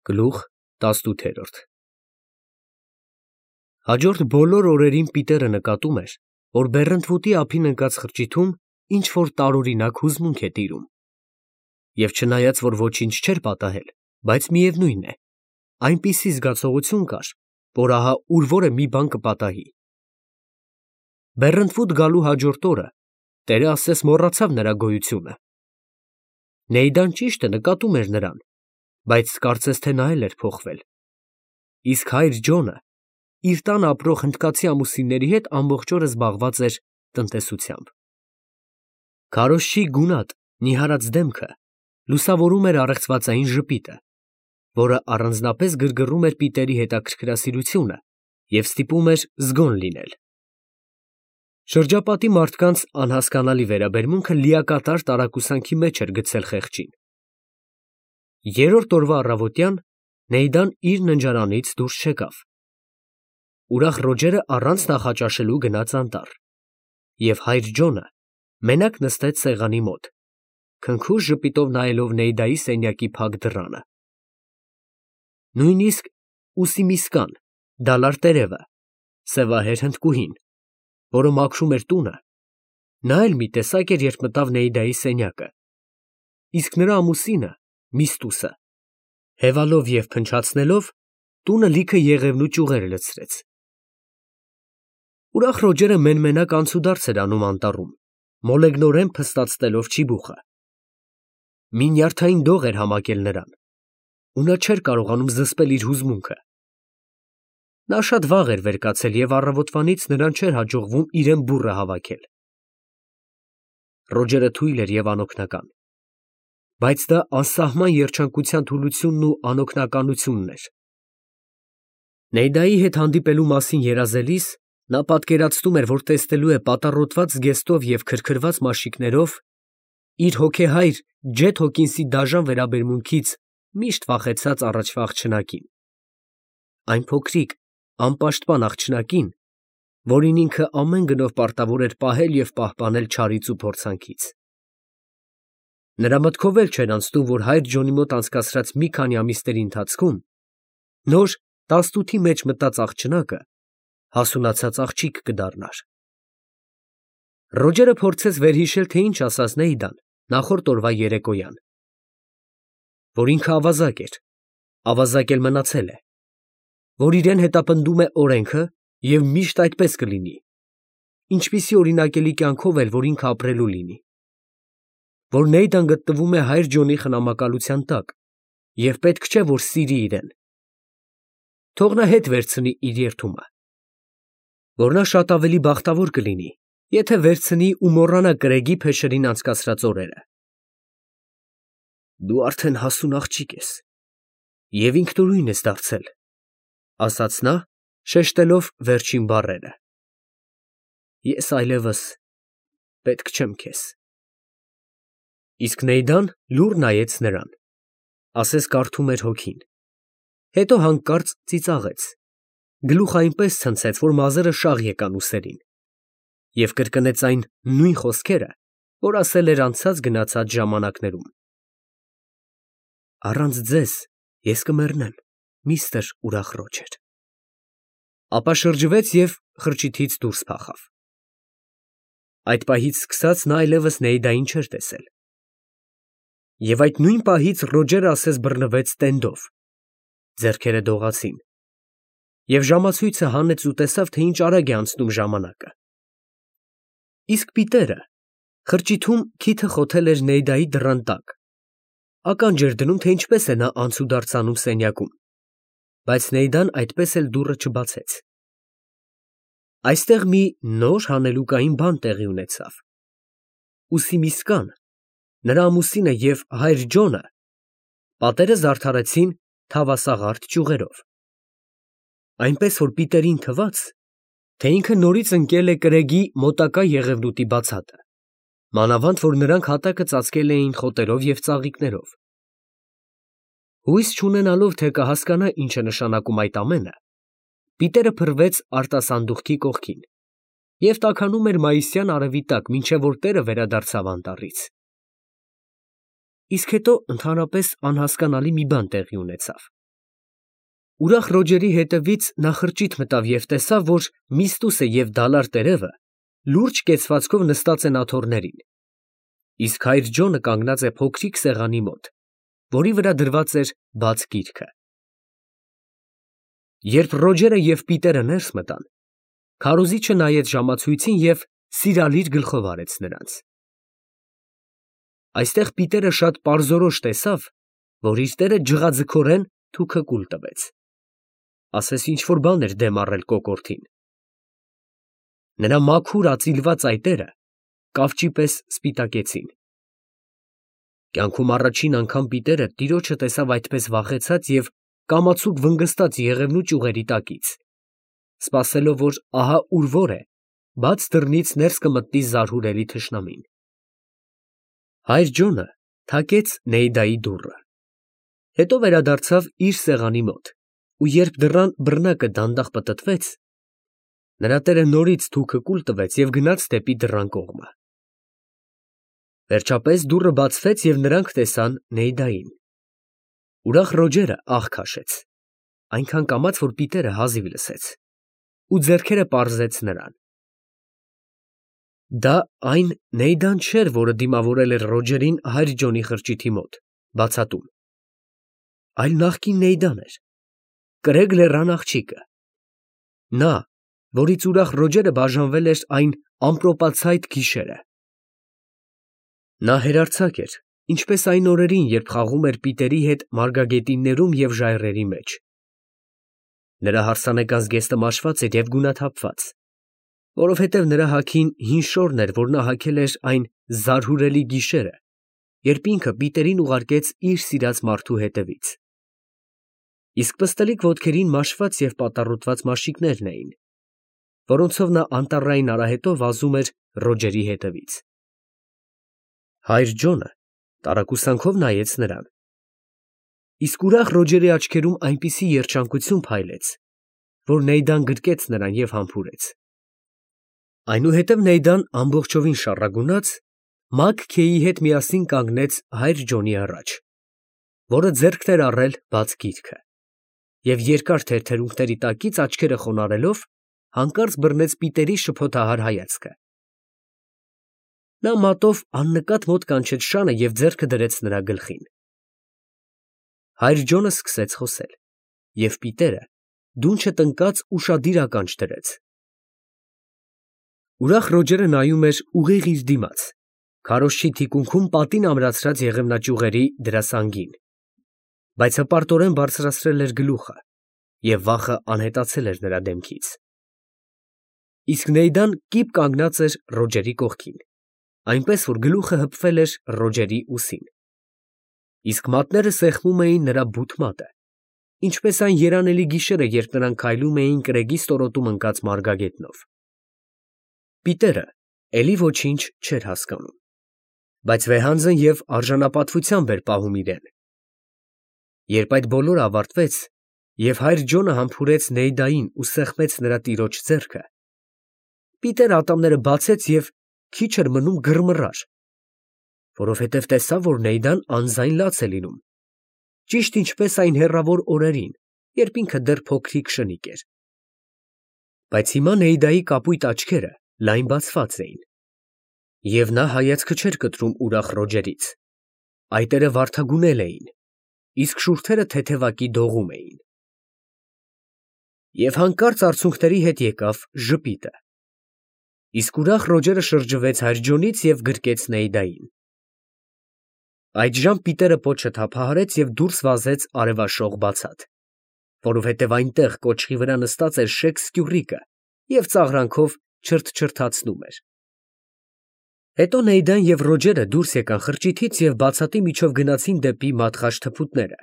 Գլուխ 18 Հաջորդ բոլոր օրերին Պիտերը նկատում էր, որ բեռնթուտի ափին ընկած խրճիթում ինչ-որ տարօրինակ հուզմունք է տիրում։ Եվ չնայած, որ ոչինչ չէր պատահել, բայց միևնույն է, այնպիսի զգացողություն կար, որ ահա ուր-որ է մի բան կպատահի։ Բեռնթուտ գալու հաջորդ օրը Տերը ասես մոռացավ նրա գոյությունը։ Նեյդան ճիշտ է նկատում էր նրան, բայց կարծես թե նա էլ էր փոխվել։ Իսկ հայր Ջոնը իր տան ապրող հնդկացի ամուսինների հետ ամբողջ օրը զբաղված էր տնտեսությամբ։ Քարոզչի գունատ, նիհարած դեմքը լուսավորում էր առեղծվածային ժպիտը, որը առանձնապես գրգռում էր Պիտերի հետաքրքրասիրությունը և ստիպում էր զգոն լինել։ Շրջապատի մարդկանց անհասկանալի վերաբերմունքը լիակատար տարակուսանքի մեջ էր գցել խեղճին։ Երրորդ օրվա առավոտյան Նեյդան իր ննջարանից դուրս չեկավ։ Ուրախ Ռոջերը առանց նախաճաշելու գնաց անտառ, և հայր Ջոնը մենակ նստեց սեղանի մոտ, քնքուշ ժպիտով նայելով Նեյդայի սենյակի փակ դռանը։ Նույնիսկ Ուսիմիսկան, դալար տերևը, սևահեր հնդկուհին, որը մաքրում էր տունը, նա էլ մի տեսակ էր, երբ մտավ Նեյդայի սենյակը, իսկ նրա ամուսինը՝ Միստուսը, հևալով և փնչացնելով, տունը լիքը եղևնու ճյուղեր լցրեց։ Ուրախ Ռոջերը մեն֊մենակ անցուդարձ էր անում անտառում, մոլեգնորեն փստացնելով ճիբուխը։ Մի նյարդային դող էր համակել նրան, ու նա չէր կարողանում զսպել իր հուզմունքը։ Նա շատ վաղ էր վեր կացել և առավոտվանից նրան չէր հաջողվում իրեն բուռը հավաքել։ Ռոջերը թույլ էր և անօգնական, բայց դա անսահման երջանկության թուլությունն ու անօգնականությունն էր։ Նեյդայի հետ հանդիպելու մասին երազելիս նա պատկերացնում էր, որ տեսնելու է պատառոտված զգեստով և քրքրված մաշիկներով իր հոգեհայր Ջեթ Հոքինսի դաժան վերաբերմունքից միշտ վախեցած առաջվա աղջնակին, այն փոքրիկ, անպաշտպան աղջնակին, որին ինքը ամեն գնով պարտավոր էր պահել և պահպանել չարից ու փորձանքից։ Նրա մտքով էլ չէր անցնում, որ հայր Ջոնի մոտ անցկացրած մի քանի ամիսների ընթացքում նոր 18-ի մեջ մտած աղջնակը հասունացած աղջիկ կդառնար։ Ռոջերը փորձեց վերհիշել, թե ինչ ասաց Նեյդան նախորդ օրվա երեկոյան, որ ինքը ավազակ էր, ավազակ էլ մնացել է, որ իրեն հետապնդում է օրենքը և միշտ այդպես կլինի, ինչպիսի օրինակելի կյանքով էլ որ ինքը ապրելու լինի, որ Նեյդան գտնվում է հայր Ջոնի խնամակալության տակ և պետք չէ, որ սիրի իրեն, թող նա հետ վերցնի իր երդումը, որ նա շատ ավելի բախտավոր կլինի, եթե վերցնի ու մոռանա կրեգի փեշերին անցկացրած օրերը։ Դու արդեն հասուն աղջիկ ես և ինքնուրույն ես դարձել, ասաց նա, շեշտելով վերջին բառերը։ Ես այլևս պետք չեմ քեզ։ Իսկ Նեյդան լուռ նայեց նրան, ասես կարդում էր հոգին, հետո հանկարծ ծիծաղեց, գլուխը այնպես ցնցեց, որ մազերը շաղ եկան ուսերին, և կրկնեց այն նույն խոսքերը, որ ասել էր անցած գնացած ժամանակներում. Առանց ձեզ ես կմեռնեմ, միստր ուրախ Ռոջեր։ Ապա շրջվեց և խրճիթից դուրս փախավ։ Այդ պահից սկսած նա այլևս Նեյդային չէր տեսել։ Եվ այդ նույն պահից Ռոջերը ասես բռնվեց տենդով, ձեռքերը դողացին, և ժամացույցը հանեց ու տեսավ, թե ինչ արագ է անցնում ժամանակը։ Իսկ Պիտերը խրճիթում քիթը խոթել էր Նեյդայի դռան տակ, ականջ էր դնում, թե ինչպես է նա անցուդարձ անում սենյակում, բայց Նեյդան այդպես էլ դուռը չբացեց։ Այստեղ մի նոր հանելուկային բան տեղի ունեցավ։ Ուսիմիսկան, նրա ամուսինը և հայր Ջոնը պատերը զարդարեցին թավասաղարդ ճյուղերով, այնպես որ Պիտերին թվաց, թե ինքը նորից ընկել է կրեգի մոտակա եղևնուտի բացատը, մանավանդ որ նրանք հատակը ծածկել էին խոտերով և ծաղիկներով։ Հույս չունենալով, թե կհասկանա ինչ է նշանակում այդ ամենը, Պիտերը փռվեց արտասանդուղքի կողքին և տաքանում էր մայիսյան արևի տակ, մինչև որ տերը վերադարձավ անտառից։ Իսկ հետո ընդհանրապես անհասկանալի մի բան տեղի ունեցավ։ Ուրախ Ռոջերի հետևից նա խրճիթ մտավ և տեսավ, որ Միստուսը և դալար տերևը լուրջ կեցվածքով նստած են աթոռներին, իսկ հայր Ջոնը կանգնած է փոքրիկ սեղանի մոտ, որի վրա դրված էր բաց գիրքը։ Երբ Ռոջերը և Պիտերը ներս մտան, քարոզիչը նայեց ժամացույցին և սիրալիր գլխով արեց նրանց։ Այստեղ Պիտերը շատ պարզորոշ տեսավ, որ իր տերը ջղաձգորեն թուքը կուլ տվեց, ասես ինչ֊որ բան էր դեմ առել կոկորդին։ Նրա մաքուր ածիլված այտերը կավճի պես սպիտակեցին։ Կյանքում առաջին անգամ Պիտերը տիրոջը տեսավ այդպես վախեցած և կամացուկ վնգստած եղևնու ճյուղերի տակից, սպասելով, որ ահա ուր որ է, բաց դռնից ներս կմտնի զարհուրելի թշնամին։ Հայր Ջոնը թակեց Նեիդայի դուռը, հետո վերադարձավ իր սեղանի մոտ, ու երբ դռան բռնակը դանդաղ պտտվեց, նրա տերը նորից թուքը կուլ տվեց և գնաց դեպի դռան կողմը։ Վերջապես դուռը բացվեց և նրանք տեսան Նեիդային։ Ուրախ Ռոջերը ահ քաշեց, այնքան կամաց, որ Պիտերը հազիվ լսեց, ու ձեռքերը պարզեց նրան։ Դա այն Նեիդան չէր, որը դիմավորել էր Ռոջերին հայր Ջոնի խրճիթի մոտ, բացատում, այլ նախկին Նեիդան էր, կրեգ լեռան աղջիկը, նա, որից ուրախ Ռոջերը բաժանվել էր այն ամպրոպացայտ գիշերը։ Նա հերարձակ էր, ինչպես այն օրերին, երբ խաղում էր Պիտերի հետ մարգագետիններում և ժայռերի մեջ։ Նրա հարսանեկան զգեստը մաշված էր և գունաթափված, որովհետև նրա հագին հին շորն էր, որ նա հագել էր այն զարհուրելի գիշերը, երբ ինքը Պիտերին ուղարկեց իր սիրած մարդու հետևից։ Իսկ պստլիկ ոտքերին մաշված և պատառոտված մաշիկներն էին, որոնցով նա անտառային արահետով վազում էր Ռոջերի հետևից։ Հայր Ջոնը տարակուսանքով նայեց նրան, իսկ ուրախ Ռոջերի աչքերում այնպիսի երջանկություն փայլեց, որ Նեիդան գրկեց նրան և համբուրեց։ Այնուհետև Նեիդան ամբողջովին շառագունած Մագ-Քեյի հետ միասին կանգնեց հայր Ջոնի առաջ, որը ձեռքն էր առել բաց գիրքը, և երկար թեթերունքների տակից աչքերը խոնարհելով հանկարծ բռնեց Պիտերի շփոթահար հայացքը։ Նա մատով աննկատ մոտ կանչեց շանը և ձեռքը դրեց նրա գլխին։ Հայր Ջոնը սկսեց խոսել, և Պիտերը դունչը տնկած ուշադիր ականջ դրեց։ Ուրախ Ռոջերը նայում էր ուղիղ իր դիմաց, քարոզչի թիկունքում պատին ամրացրած եղևնաճյուղերի դրասանգին, բայց հպարտորեն բարձրացրել էր գլուխը, և վախը անհետացել էր նրա դեմքից։ Իսկ Նեիդան կիպ կանգնած էր Ռոջերի կողքին, այնպես որ գլուխը հպվել էր Ռոջերի ուսին, իսկ մատները սեղմում էին նրա բութ մատը, ինչպես այն երանելի գիշերը, երբ նրանք քայլում էին կրեգի ստորոտում ընկած մարգագետնով։ Պիտերը էլի ոչինչ չէր հասկանում, բայց վեհանձն և արժանապատվությամբ էր պահում իրեն։ Երբ այդ բոլորը ավարտվեց, և հայր Ջոնը համբուրեց Նեիդային ու սեղմեց նրա տիրոջ ձեռքը, Պիտերը ատամները բացեց և քիչ էր մնում գրմռար, որովհետև տեսավ, որ Նեիդան անձայն լաց է լինում, ճիշտ ինչպես այն հեռավոր օրերին, երբ ինքը դեռ փոքրիկ շնիկ էր։ Բայց հիմա Նեիդայի կապույտ աչքերը լայն բացված էին, և նա հայացքը չէր կտրում ուրախ Ռոջերից, այտերը վարդագունել էին, իսկ շուրթերը թեթևակի դողում էին։ Եվ հանկարծ արցունքների հետ եկավ ժպիտը, իսկ ուրախ Ռոջերը շրջվեց հայր Ջոնից և գրկեց Նեիդային։ Այդժամ Պիտերը պոչը թափահարեց և դուրս վազեց արևաշող բացատ, որովհետև այնտեղ կոճղի վրա նստած էր շեկ սկյուռիկը և ծաղրանքով չրթչրթացնում էր։ Հետո Նեիդան և Ռոջերը դուրս եկան խրճիթից և բացատի միջով գնացին դեպի մատղաշ թփուտները,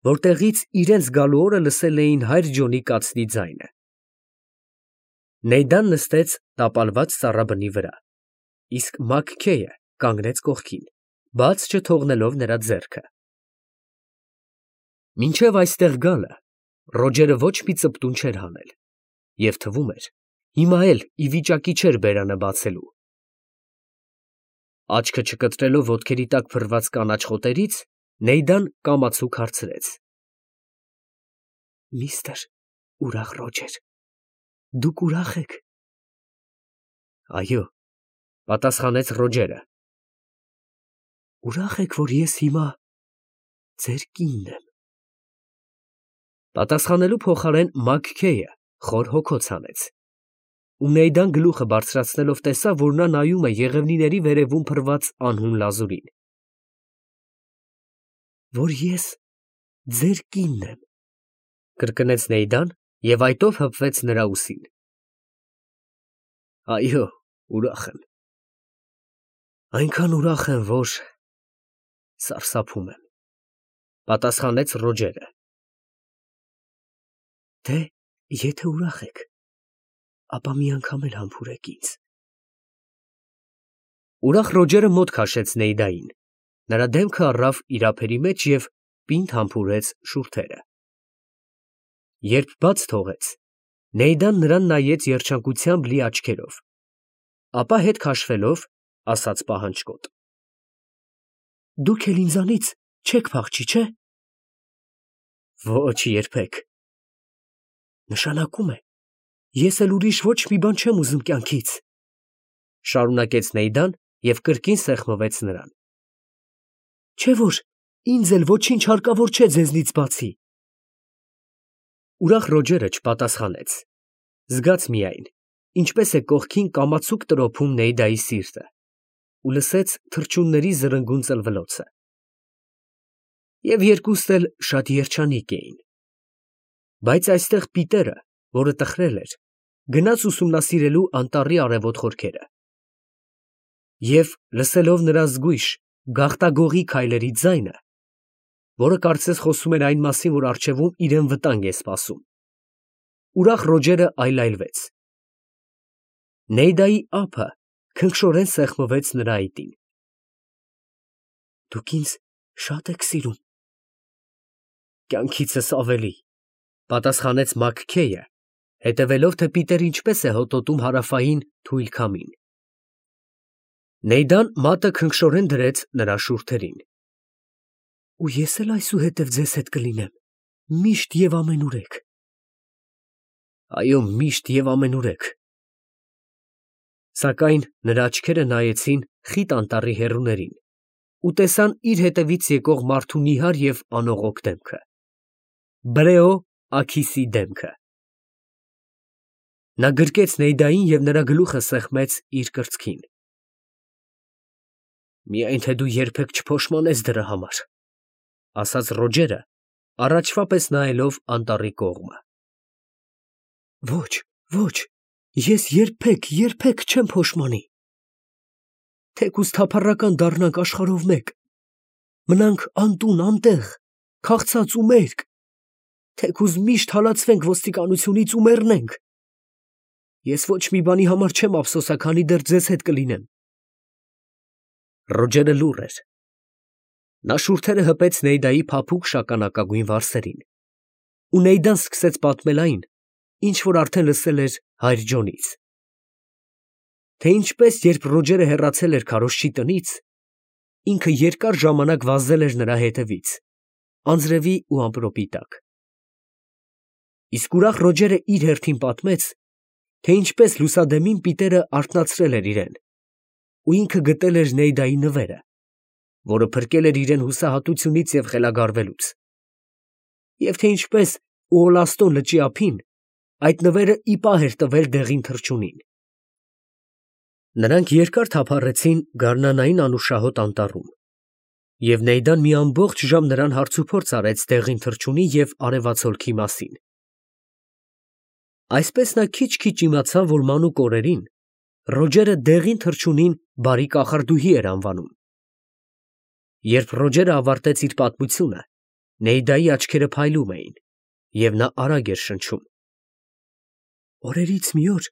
որտեղից իրենց գալու օրը լսել էին հայր Ջոնի կացնի ձայնը։ Նեիդան նստեց տապալված ծառաբնի վրա, իսկ Մագ-Քեյը կանգնեց կողքին, բաց չթողնելով նրա ձեռքը։ Մինչև այստեղ գալը Ռոջերը ոչ մի ծպտուն չէր հանել, և թվում էր, հիմա էլ ի վիճակի չէր բերանը բացելու։ Աչքը չկտրելով ոտքերի տակ փռված կանաչ խոտերից, Նեիդան կամացուկ հարցրեց. Միստր ուրախ Ռոջեր, դուք ուրախ եք։ Այո, պատասխանեց Ռոջերը։ Ուրախ եք, որ ես հիմա ձեր կինն եմ։ Պատասխանելու փոխարեն Մաքքեյը խոր հոգոց հանեց։ Ու Նեյդան գլուխը բարձրացնելով տեսավ, որ նա նայում է եղևնիների վերևում փռված անհուն լազուրին։ Որ ես ձեր կինն եմ, կրկնեց Նեյդան և այտով հպվեց նրա ուսին։ Այո, ուրախ եմ։ Այնքան ուրախ եմ, որ սարսափում եմ, պատասխանեց Ռոջերը։ Դե, եթե ուրախ եք, ապա մի անգամ էլ համբուրեք ինձ։ Ուրախ Ռոջերը մոտ քաշեց Նեյդային, նրա դեմքը առավ իր ափերի մեջ և պինդ համբուրեց շուրթերը։ Երբ բաց թողեց, Նեյդան նրան նայեց երջանկությամբ լի աչքերով, ապա հետ քաշվելով, ասաց պահանջկոտ. Դուք էլ ինձանից չեք փախչի, չէ՞։ Ոչ, երբեք։ Նշանակում է, ես էլ ուրիշ ոչ մի բան չեմ ուզում կյանքից, շարունակեց Նեյդան և կրկին սեղմվեց նրան։ Չէ՞ որ ինձ էլ ոչինչ հարկավոր չէ ձեզնից բացի։ Ուրախ Ռոջերը չպատասխանեց, զգաց միայն, ինչպես է կողքին կամացուկ տրոփում Նեյդայի սիրտը, ու լսեց թռչունների զրնգուն ծլվլոցը։ Եվ երկուստ էլ շատ երջանիկ էին։ Բայց այստեղ Պիտերը, որը տխրել էր, գնաց ուսումնասիրելու անտառի արևոտ խորքերը։ Եվ լսելով նրա զգույշ, գաղտագողի քայլերի ձայնը, որը կարծես խոսում էր այն մասին, որ առջևում իրեն վտանգ է սպասում, ուրախ Ռոջերը այլայլվեց։ Նեյդայի ափը քնքշորեն սեղմվեց նրա այտին։ Դուք ինձ շատ եք սիրում։ Կյանքիցս ավելի, պատասխանեց Մաքքեյը, հետևելով, թե Պիտերը ինչպես է հոտոտում հարավային թույլ քամին։ Նեյդան մատը քնքշորեն դրեց նրա շուրթերին։ Ու ես էլ այսուհետև ձեզ հետ կլինեմ, միշտ և ամենուրեք։ Այո, միշտ և ամենուրեք։ Սակայն նրա աչքերը նայեցին խիտ անտառի հեռուներին ու տեսան իր հետևից եկող մարդու նիհար և անողոք դեմքը։ Բրեո Աքիսի դեմքը։ Նա գրկեց Նեյդային և նրա գլուխը սեղմեց իր կրծքին։ Միայն թե դու երբեք չփոշմանես դրա համար, ասաց Ռոջերը, առաջվա պես նայելով անտառի կողմը։ Ոչ, ոչ, ես երբեք չեմ փոշմանի։ Թեկուզ թափառական դառնանք աշխարհով մեկ, մնանք անտուն, անտեղ, քաղցած ու մերկ, թեկուզ միշտ հալածվենք ոստիկանությունից ու մեռնենք։ Ես ոչ մի բանի համար չեմ ափսոսա, քանի դեռ ձեզ հետ կլինեմ։ Ռոջերը լուռ էր։ Նա շուրթերը հպեց Նեյդայի փափուկ շագանակագույն վարսերին, ու Նեյդան սկսեց պատմել այն, ինչ որ արդեն լսել էր հայր Ջոնից։ Թե ինչպես, երբ Ռոջերը հեռացել էր քարոզչի տնից, ինքը երկար ժամանակ վազել էր նրա հետևից, անձրևի ու ամպրոպի տակ։ Իսկ ուրախ Ռոջերը իր հերթին պատմեց, թե ինչպես լուսադեմին Պիտերը արթնացրել էր իրեն, ու ինքը գտել էր Նեյդայի նվերը, որը փրկել էր իրեն հուսահատությունից և խելագարվելուց, և թե ինչպես Ուոլաստոն լճի ափին այդ նվերը ի պահ էր տվել դեղին թռչունին։ Նրանք երկար թափառեցին գարնանային անուշահոտ անտառում, և Նեյդան մի ամբողջ ժամ նրան հարցուփորձ արեց դեղին թռչունի և արևածագի մասին։ Այսպես նա քիչ֊քիչ իմացավ, որ մանուկ օրերին Ռոջերը դեղին թռչունին բարի կախարդուհի էր անվանում։ Երբ Ռոջերը ավարտեց իր պատմությունը, Նեյդայի աչքերը փայլում էին, և նա արագ էր շնչում։ Օրերից մի օր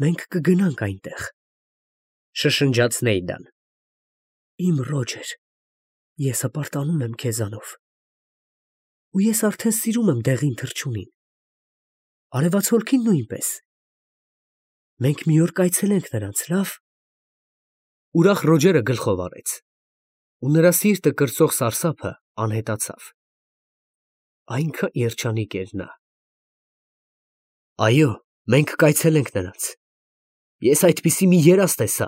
մենք կգնանք այնտեղ, շշնջաց Նեյդան։ Իմ Ռոջեր, ես հպարտանում եմ քեզանով, ու ես արդեն սիրում եմ դեղին թռչունին, արևածագին նույնպես։ Մենք մի օր կայցելենք նրանց, լավ։ Ուրախ Ռոջերը գլխով արեց, ու նրա սիրտը կրծող սարսափը անհետացավ։ Այնքան երջանիկ էր նա։ Այո, մենք կայցել ենք նրանց։ Ես այդպիսի մի երազ տեսա,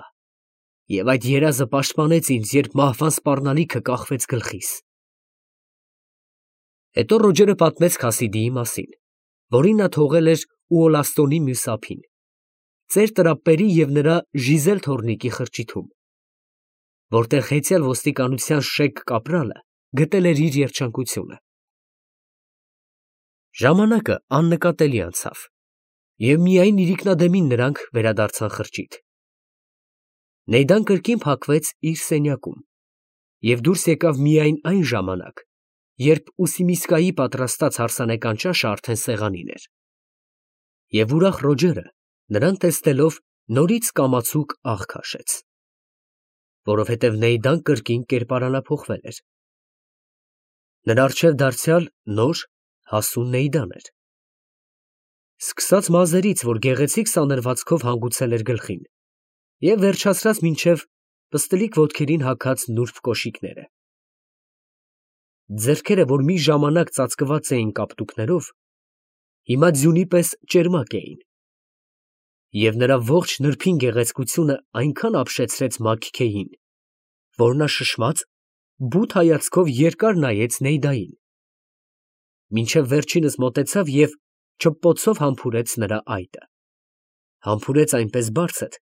և այդ երազը պաշտպանեց ինձ, երբ մահվան սպառնալիքը կախվեց գլխիս։ Հետո Ռոջերը պատմեց Քասիդիի մասին, որին նա թողել էր Ուոլաստոնի մյուս ափին, ծեր տրապպերի և նրա Ժիզել թոռնիկի խրճիթում, որտեղ հեծյալ ոստիկանության շեկ կապրալը գտել էր իր երջանկությունը։ Ժամանակը աննկատելի անցավ, և միայն իրիկնադեմին նրանք վերադարձան խրճիթ։ Նեյդան կրկին փակվեց իր սենյակում և դուրս եկավ միայն այն ժամանակ, երբ Ուսիմիսկայի պատրաստած հարսանեկան ճաշը արդեն սեղանին էր, և ուրախ Ռոջերը նրան տեսնելով նորից կամացուկ աղ քաշեց, որովհետև Նեյդան կրկին կերպարանափոխվել էր։ Նրա առջև դարձյալ նոր հասուն Նեյդան էր, սկսած մազերից, որ գեղեցիկ սանրվածքով հանգուցել էր գլխին, և վերջացրած մինչև պստլիկ ոտքերին հագած նուրբ կոշիկները։ Ձեռքերը, որ մի ժամանակ ծածկված էին կապտուկներով, հիմա ձյունի պես ճերմակ էին, և նրա ողջ նրբին գեղեցկությունը այնքան ապշեցրեց Մագքեյին, որ նա շշմած, բութ հայացքով երկար նայեց Նեյդային, մինչև վերջինս մոտեցավ և չպպոցով համբուրեց նրա այտը, համբուրեց այնպես բարձր,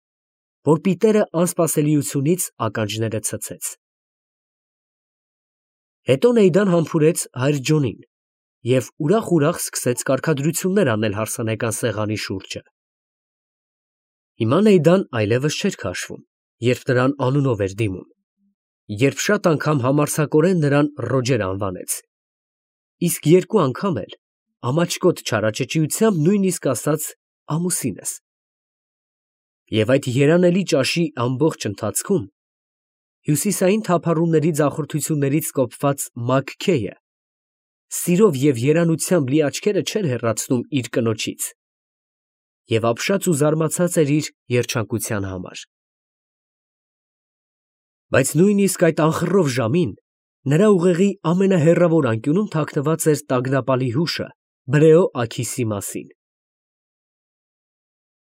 որ պիտերը անսպասելիությունից ականջները ցցեց։ Հետո Նեյդան համբուրեց հայր Ջոնին և ուրախ սկսեց կարգադրություններ անել հարսանեկան սեղանի շուրջը։ Հիմա Նեյդան այլևս չէր քաշվում, երբ նրան անունով էր դիմում, երբ շատ անգամ համարձակորեն նրան Ռոջեր անվանեց, իսկ երկու անգամ էլ ամաչկոտ չարաճճիությամբ նույնիսկ ասաց ամուսինս։ Եվ այդ երանելի ճաշի ամբողջ ընթացքում հյուսիսային թափառումների ձախորդություններից կոփված Մագքեյը սիրով և երանությամբ լի աչքերը չէր հեռացնում իր կնոջից և ապշած ու զարմացած էր իր երջանկության համար։ Բայց նույնիսկ այդ անխռով ժամին նրա ուղեղի ամենահեռավոր անկյունում թաքնված էր տագնապալի հուշը Բրեո Աքիսի մասին։